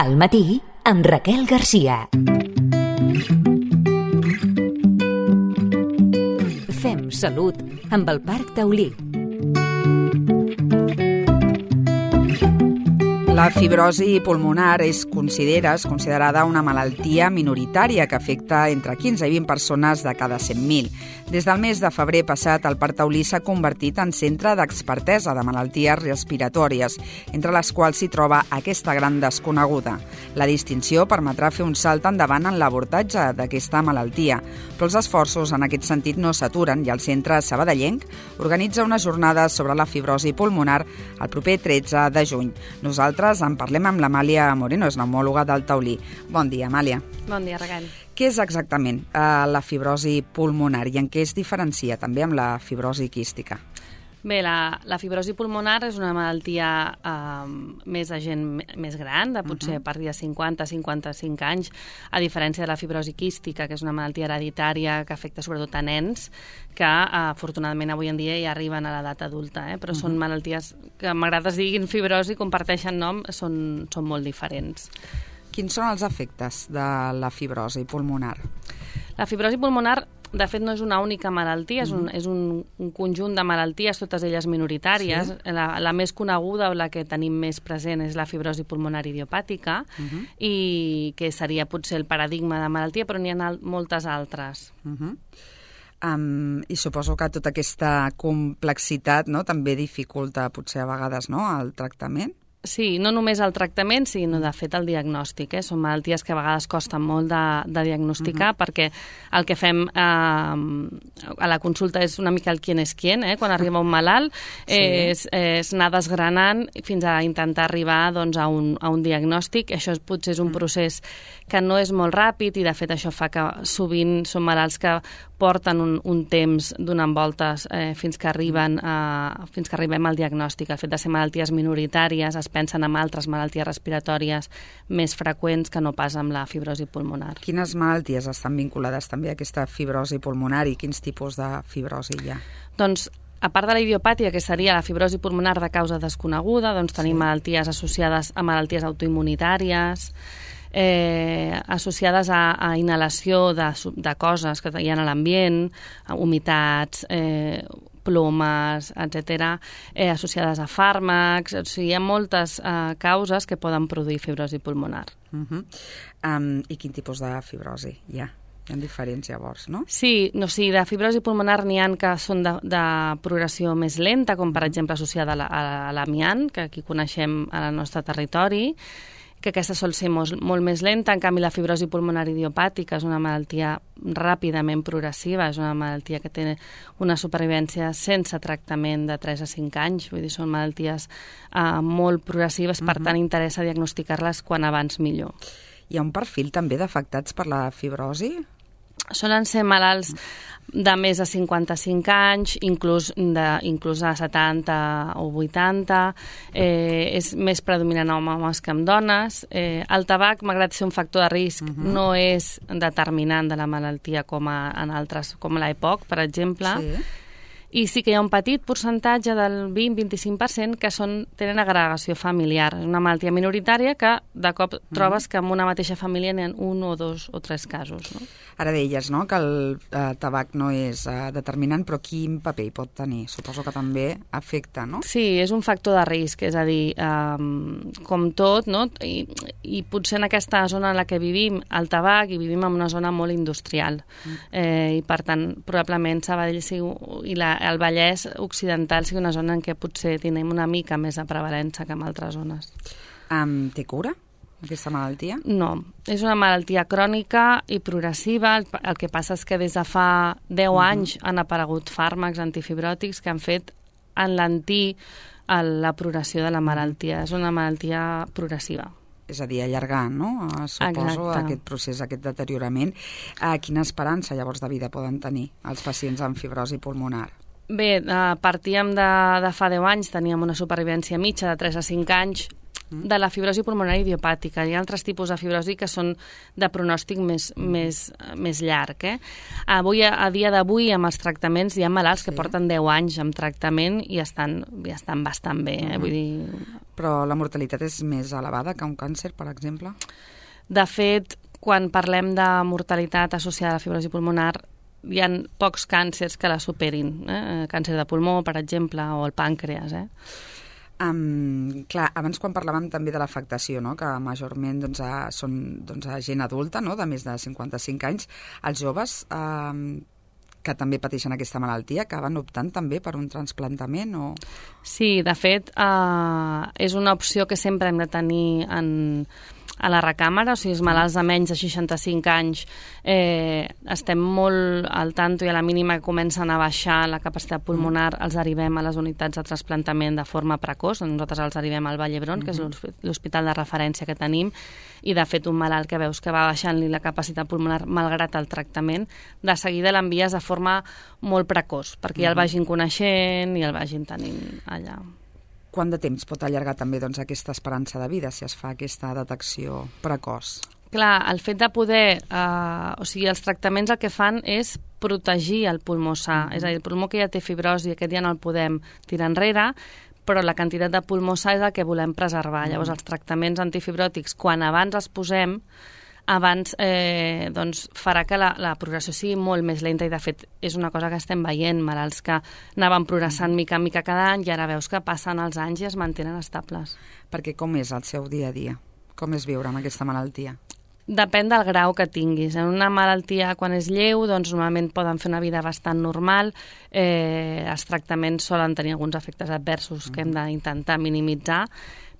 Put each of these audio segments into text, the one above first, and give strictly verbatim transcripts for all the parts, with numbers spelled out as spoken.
Al matí, amb Raquel Garcia. Fem salut amb el Parc Taulí. La fibrosi pulmonar es considera, és considerada una malaltia minoritària que afecta entre quinze i vint persones de cada cent mil. Des del mes de febrer passat, el Parc Taulí s'ha convertit en centre d'expertesa de malalties respiratòries, entre les quals s'hi troba aquesta gran desconeguda. La distinció permetrà fer un salt endavant en l'abordatge d'aquesta malaltia, però els esforços en aquest sentit no s'aturen i el centre sabadellenc organitza una jornada sobre la fibrosi pulmonar el proper tretze de juny. Nosaltres en parlem amb l'Amàlia Moreno, és neumòloga del Taulí. Bon dia, Amàlia. Bon dia, Raquel. Què és exactament eh, la fibrosi pulmonar i en què es diferencia també amb la fibrosi quística? Bé, la, la fibrosi pulmonar és una malaltia eh, més de gent més gran, de potser uh-huh. a partir de cinquanta a cinquanta-cinc anys, a diferència de la fibrosi quística, que és una malaltia hereditària que afecta sobretot a nens, que eh, afortunadament avui en dia ja arriben a l'edat adulta, eh? però uh-huh. són malalties que m'agrada es diguin fibrosi, comparteixen nom, són, són molt diferents. Quins són els efectes de la fibrosi pulmonar? La fibrosi pulmonar, de fet, no és una única malaltia, és un, és un, un conjunt de malalties, totes elles minoritàries. Sí. La, la més coneguda o la que tenim més present és la fibrosi pulmonar idiopàtica, uh-huh. i que seria potser el paradigma de malaltia, però n'hi ha moltes altres. Uh-huh. Um, I suposo que tota aquesta complexitat, no, també dificulta potser a vegades, no, el tractament? Sí, no només el tractament, sinó de fet el diagnòstic. Eh? Són malalties que a vegades costen molt de, de diagnosticar, uh-huh. perquè el que fem eh, a la consulta és una mica el quién és quién, eh? Quan arriba un malalt, sí. és, és anar desgranant fins a intentar arribar doncs, a, un, a un diagnòstic. Això és, potser és un uh-huh. procés que no és molt ràpid i de fet això fa que sovint són malalts que porten un, un temps donant voltes eh, fins que arriben a, fins que arribem al diagnòstic. El fet de ser malalties minoritàries es pensen en altres malalties respiratòries més freqüents que no pas amb la fibrosi pulmonar. Quines malalties estan vinculades també a aquesta fibrosi pulmonar i quins tipus de fibrosi hi ha? Doncs a part de la idiopàtia, que seria la fibrosi pulmonar de causa desconeguda, doncs tenim sí. malalties associades a malalties autoimmunitàries, Eh, associades a, a inhalació de, de coses que hi ha a l'ambient, humitats, eh, plomes, etcètera, eh, associades a fàrmacs. O sigui, hi ha moltes eh, causes que poden produir fibrosi pulmonar. Uh-huh. um, I quin tipus de fibrosi hi ha? Hi ha diferents, llavors, no? Sí, no, sí, de fibrosi pulmonar n'hi ha que són de, de progressió més lenta, com per exemple associada a, la, a l'amiant, que aquí coneixem al nostre territori, que aquesta sol ser molt, molt més lenta. En canvi, la fibrosi pulmonar idiopàtica és una malaltia ràpidament progressiva, és una malaltia que té una supervivència sense tractament de tres a cinc anys, vull dir, són malalties uh, molt progressives, per uh-huh. tant, interessa diagnosticar-les quan abans millor. Hi ha un perfil també d'afectats per la fibrosi? Solen ser malalts de més de cinquanta-cinc anys, inclús de, inclús de setanta o vuitanta, eh, és més predominant en homes que en dones. Eh, el tabac, malgrat ser un factor de risc, uh-huh. no és determinant de la malaltia com a, en altres, com l'E P O C, per exemple. Sí. I sí que hi ha un petit percentatge del vint a vint-i-cinc per cent que són, tenen agregació familiar. És una malaltia minoritària que de cop uh-huh. trobes que en una mateixa família n'hi ha un o dos o tres casos. No? Ara deies, no?, que el eh, tabac no és eh, determinant, però quin paper hi pot tenir? Suposo que també afecta, no? Sí, és un factor de risc, és a dir, eh, com tot, no? I, i potser en aquesta zona en la que vivim, el tabac, i vivim en una zona molt industrial. Mm. Eh, I, per tant, probablement Sabadell sigui, i la, el Vallès Occidental sigui una zona en què potser tenim una mica més de prevalença que en altres zones. Um, té cura, aquesta malaltia? No, és una malaltia crònica i progressiva. El, el que passa és que des de fa deu uh-huh. anys han aparegut fàrmacs antifibròtics que han fet enlentir la progressió de la malaltia. És una malaltia progressiva. És a dir, allargar, no? Suposo, Exacte. Aquest procés, aquest deteriorament. Uh, quina esperança, llavors, de vida poden tenir els pacients amb fibrosi pulmonar? Bé, uh, partíem de, de fa deu anys, teníem una supervivència mitja de tres a cinc anys, de la fibrosi pulmonar idiopàtica. Hi ha altres tipus de fibrosi que són de pronòstic més, mm. més, més llarg. Eh? Avui, a dia d'avui, amb els tractaments, hi ha malalts sí. que porten deu anys amb tractament i estan, i estan bastant bé. Eh? Mm. Vull dir, Però la mortalitat és més elevada que un càncer, per exemple? De fet, quan parlem de mortalitat associada a la fibrosi pulmonar, hi ha pocs càncers que la superin. Eh? Càncer de pulmó, per exemple, o el pàncreas. Eh? Um, clar, abans quan parlàvem també de l'afectació, no? Que majorment doncs, a, són doncs, a gent adulta, no? De més de cinquanta-cinc anys, els joves um, que també pateixen aquesta malaltia acaben optant també per un trasplantament? O... Sí, de fet, uh, és una opció que sempre hem de tenir en, a la recàmera, o sigui, els malalts de menys de seixanta-cinc anys eh, estem molt al tanto i a la mínima que comencen a baixar la capacitat pulmonar els arribem a les unitats de trasplantament de forma precoç. Nosaltres els arribem al Vall d'Hebron, que és l'hospital de referència que tenim, i de fet un malalt que veus que va baixant-li la capacitat pulmonar malgrat el tractament, de seguida l'envies de forma molt precoç, perquè ja el vagin coneixent i el vagin tenint allà. Quant de temps pot allargar també doncs, aquesta esperança de vida si es fa aquesta detecció precoç? Clar, el fet de poder... Eh, o sigui, els tractaments el que fan és protegir el pulmó sa. Mm-hmm. És a dir, el pulmó que ja té fibrosi, aquest ja no el podem tirar enrere, però la quantitat de pulmó sa és el que volem preservar. Mm-hmm. Llavors, els tractaments antifibròtics, quan abans els posem, abans eh, doncs, farà que la, la progressió sigui molt més lenta i, de fet, és una cosa que estem veient, malalts que anaven progressant mica en mica cada any i ara veus que passen els anys i es mantenen estables. Perquè com és el seu dia a dia? Com és viure amb aquesta malaltia? Depèn del grau que tinguis. En una malaltia, quan és lleu, doncs normalment poden fer una vida bastant normal. Eh, els tractaments solen tenir alguns efectes adversos que hem d'intentar minimitzar,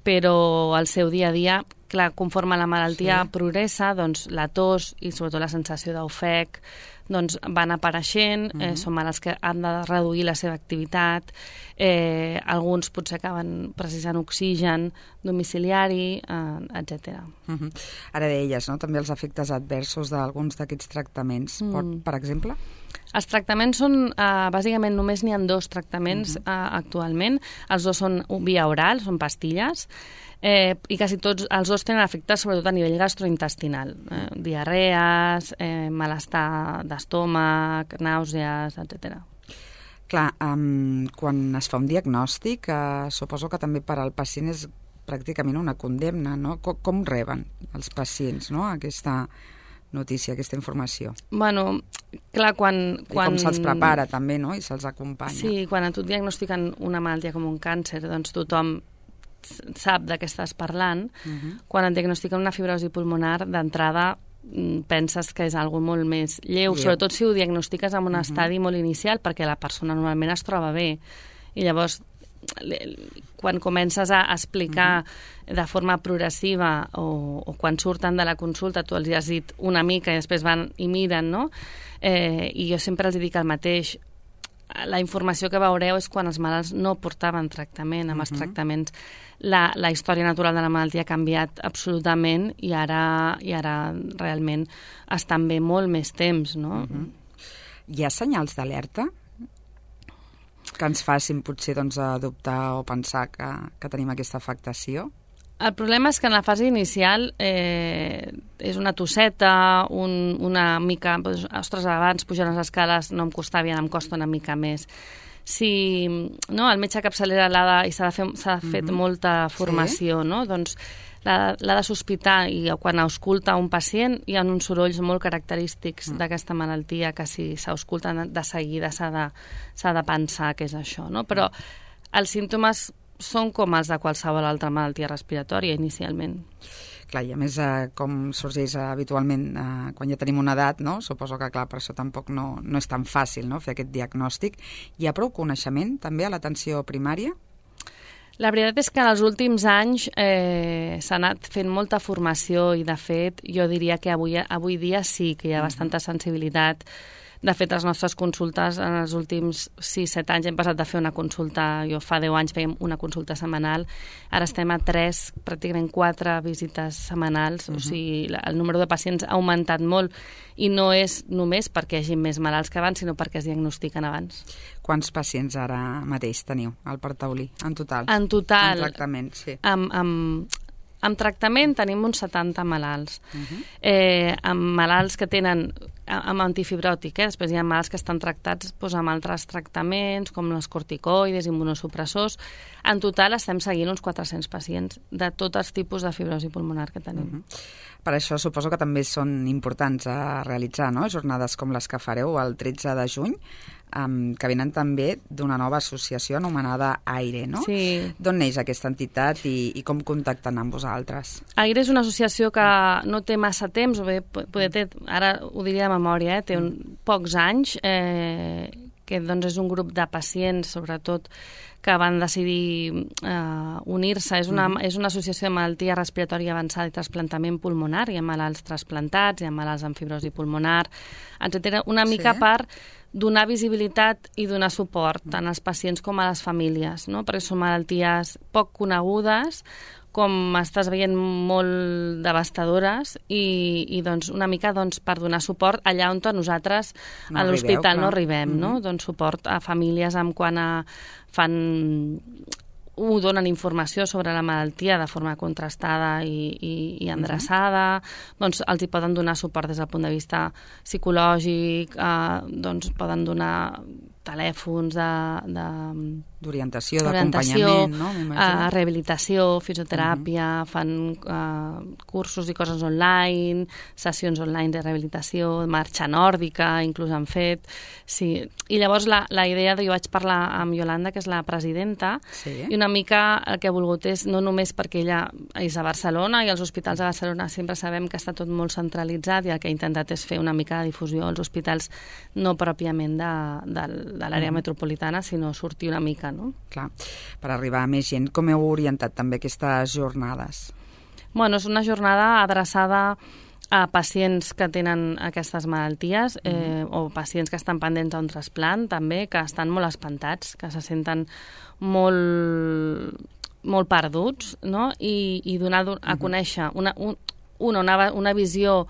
però al seu dia a dia, clar, conforme la malaltia sí. progressa, doncs la tos i sobretot la sensació d'ofec doncs van apareixent, uh-huh. eh, són malalts que han de reduir la seva activitat, eh, alguns potser acaben precisant oxigen domiciliari, eh, etcètera. Uh-huh. Ara deies, no?, també els efectes adversos d'alguns d'aquests tractaments, mm. Pot, per exemple? Els tractaments són, eh, bàsicament només n'hi ha dos tractaments uh-huh. eh, actualment, els dos són via oral, són pastilles, eh, i quasi tots els dos tenen efectes sobretot a nivell gastrointestinal, eh, diarrees, eh, malestar d'estómac, nàusees, etcètera. Clar, um, quan es fa un diagnòstic, eh, suposo que també per al pacient és pràcticament una condemna, no? Com, com reben els pacients, no?, aquesta notícia, aquesta informació? Bueno, clar, quan... quan... I com se'ls prepara també, no?, i se'ls acompanya. Sí, quan a tu et diagnostiquen una malaltia com un càncer, doncs tothom sap de què estàs parlant. Uh-huh. Quan et diagnostiquen una fibrosi pulmonar, d'entrada penses que és algo molt més lleu, yeah. sobretot si ho diagnostiques en un uh-huh. estadi molt inicial, perquè la persona normalment es troba bé. I llavors, quan comences a explicar uh-huh. de forma progressiva o, o quan surten de la consulta, tu els has dit una mica i després van i miren, no? Eh, I jo sempre els dic el mateix. La informació que veureu és quan els malalts no portaven tractament. Amb uh-huh. els tractaments la, la història natural de la malaltia ha canviat absolutament i ara, i ara realment estan bé molt més temps, no? Uh-huh. Hi ha senyals d'alerta que ens facin potser doncs, adoptar o pensar que, que tenim aquesta afectació? El problema és que en la fase inicial eh, és una tosseta, un, una mica... Doncs, ostres, abans pujant les escales no em costava i ara em costa una mica més. Si no, el metge capçalera l'ha de, i s'ha de fer, s'ha de fet mm-hmm. molta formació, sí? No? Doncs l'ha, l'ha de sospitar i quan ausculta un pacient hi ha uns sorolls molt característics mm. d'aquesta malaltia que si s'ausculta de seguida s'ha de, s'ha de pensar que és això, no? Però els símptomes són com els de qualsevol altra malaltia respiratòria inicialment. Clar, i a més, eh, com sorgeix eh, habitualment eh, quan ja tenim una edat, no? Suposo que, clar, per això tampoc no, no és tan fàcil, no?, fer aquest diagnòstic. Hi ha prou coneixement, també, a l'atenció primària? La veritat és que en els últims anys eh, s'ha anat fent molta formació i, de fet, jo diria que avui, avui dia sí que hi ha bastanta sensibilitat. De fet, les nostres consultes en els últims sis set anys hem passat de fer una consulta, jo fa deu anys fèiem una consulta setmanal, ara estem a tres, pràcticament quatre visites setmanals, uh-huh. o sigui, el número de pacients ha augmentat molt i no és només perquè hi hagi més malalts que abans, sinó perquè es diagnostiquen abans. Quants pacients ara mateix teniu al Parc Taulí, en total? En total, en tractament, sí. amb, amb amb tractament tenim uns setanta malalts. Uh-huh. Eh, amb malalts que tenen amb antifibròtic, eh? Després hi ha malalts que estan tractats doncs, amb altres tractaments, com les corticoides, immunosupressors. En total estem seguint uns quatre-cents pacients de tots els tipus de fibrosi pulmonar que tenim. Uh-huh. Per això suposo que també són importants a realitzar, no?, jornades com les que fareu el tretze de juny, um, que venen també d'una nova associació anomenada AIRE, no? Sí. D'on neix aquesta entitat i, i com contacten amb vosaltres? AIRE és una associació que no té massa temps, o bé, poder té, ara ho diria de memòria, eh? té un, pocs anys, eh, que doncs, és un grup de pacients, sobretot, que van decidir eh, unir-se. És una, mm. és una associació de malaltia respiratòria avançada i trasplantament pulmonar. Hi ha malalts trasplantats, hi ha malalts amb fibrosi pulmonar, etcètera. Una mica sí. per donar visibilitat i donar suport tant als pacients com a les famílies, no? Perquè són malalties poc conegudes, com estàs veient, molt devastadores i, i doncs, una mica doncs, per donar suport allà on nosaltres no a l'hospital no arribem, arribem, no? Mm-hmm. Doncs suport a famílies en quant a fan ho donen informació sobre la malaltia de forma contrastada i, i, i endreçada, uh-huh. doncs els hi poden donar suport des del punt de vista psicològic, eh, doncs poden donar telèfons de... de d'orientació, d'acompanyament, no? Uh, rehabilitació, fisioteràpia, uh-huh. fan uh, cursos i coses online, sessions online de rehabilitació, marxa nòrdica, inclús han fet. Sí. I llavors la, la idea de... Jo vaig parlar amb Yolanda, que és la presidenta, sí. i una mica el que ha volgut és, no només perquè ella és a Barcelona i els hospitals de Barcelona sempre sabem que està tot molt centralitzat i el que ha intentat és fer una mica de difusió als hospitals no pròpiament de, de, de l'àrea uh-huh. metropolitana, sinó sortir una mica, no? Clar, per arribar a més gent. Com heu orientat també aquestes jornades? Bueno, és una jornada adreçada a pacients que tenen aquestes malalties eh, mm. o pacients que estan pendents d'un trasplant també, que estan molt espantats, que se senten molt, molt perduts, no? I, i donar a conèixer una, un, una, una visió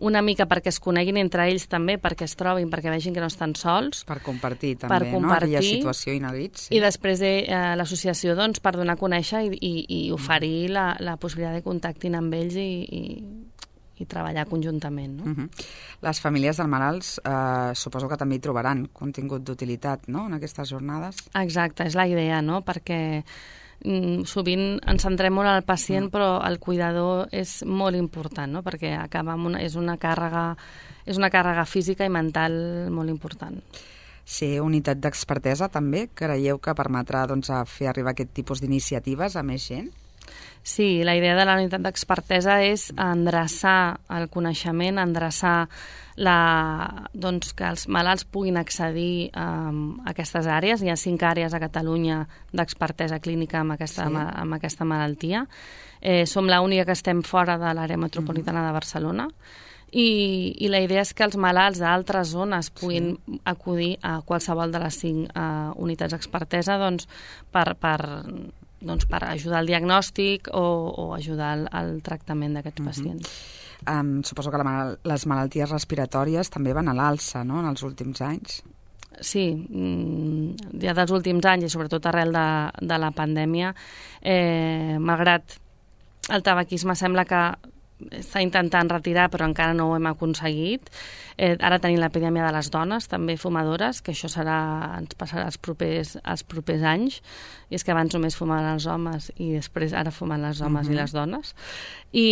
una mica perquè es coneguin entre ells també, perquè es trobin, perquè vegin que no estan sols. Per compartir també, per compartir, no? Aquella situació inèdit. Sí. I després de, eh, l'associació doncs, per donar a conèixer i, i, i oferir la, la possibilitat de contactin amb ells i, i, i treballar conjuntament. No? Uh-huh. Les famílies dels malalts eh, suposo que també hi trobaran contingut d'utilitat, no?, en aquestes jornades. Exacte, és la idea, no?, perquè sovint ens centrem molt al pacient, però el cuidador és molt important, no? Perquè acaba amb una, és una càrrega és una càrrega física i mental molt important. Ser unitat d'expertesa també, creieu que permetrà doncs, a fer arribar aquest tipus d'iniciatives a més gent? Sí, la idea de la unitat d'expertesa és endreçar el coneixement, endreçar la, doncs, que els malalts puguin accedir um, a aquestes àrees. Hi ha cinc àrees a Catalunya d'expertesa clínica amb aquesta, sí. amb aquesta malaltia. Eh, som l'única que estem fora de l'àrea metropolitana mm-hmm. de Barcelona. I, I la idea és que els malalts d'altres zones puguin sí. acudir a qualsevol de les cinc uh, unitats d'expertesa doncs, per... per doncs per ajudar al diagnòstic o, o ajudar al, al tractament d'aquests uh-huh. pacients. Um, suposo que la mal les malalties respiratòries també van a l'alça, no?, en els últims anys. Sí, ja dels últims anys i sobretot arrel de, de la pandèmia, eh, malgrat el tabaquisme sembla que està intentant retirar, però encara no ho hem aconseguit. Eh, ara tenim l'epidèmia de les dones, també fumadores, que això serà, ens passarà els propers, els propers anys, i és que abans només fumaven els homes i després ara fumen les homes uh-huh. i les dones. I,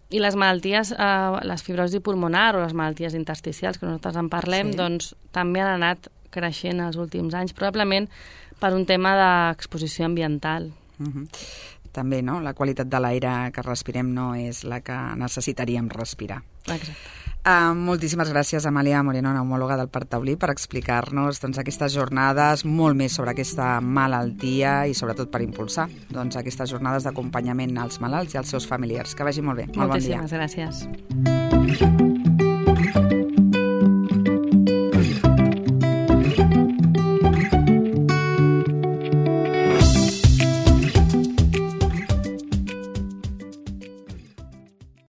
i les malalties, eh, les fibrosi pulmonar o les malalties intersticials, que nosaltres en parlem, sí. doncs també han anat creixent els últims anys, probablement per un tema d'exposició ambiental. Uh-huh. També, no?, la qualitat de l'aire que respirem no és la que necessitaríem respirar. Exacte. Uh, moltíssimes gràcies, Amàlia Moreno, neumòloga del Parc Taulí, per explicar-nos doncs, aquestes jornades, molt més sobre aquesta malaltia i sobretot per impulsar doncs, aquestes jornades d'acompanyament als malalts i als seus familiars. Que vagi molt bé. Molt Moltíssimes bon dia. gràcies.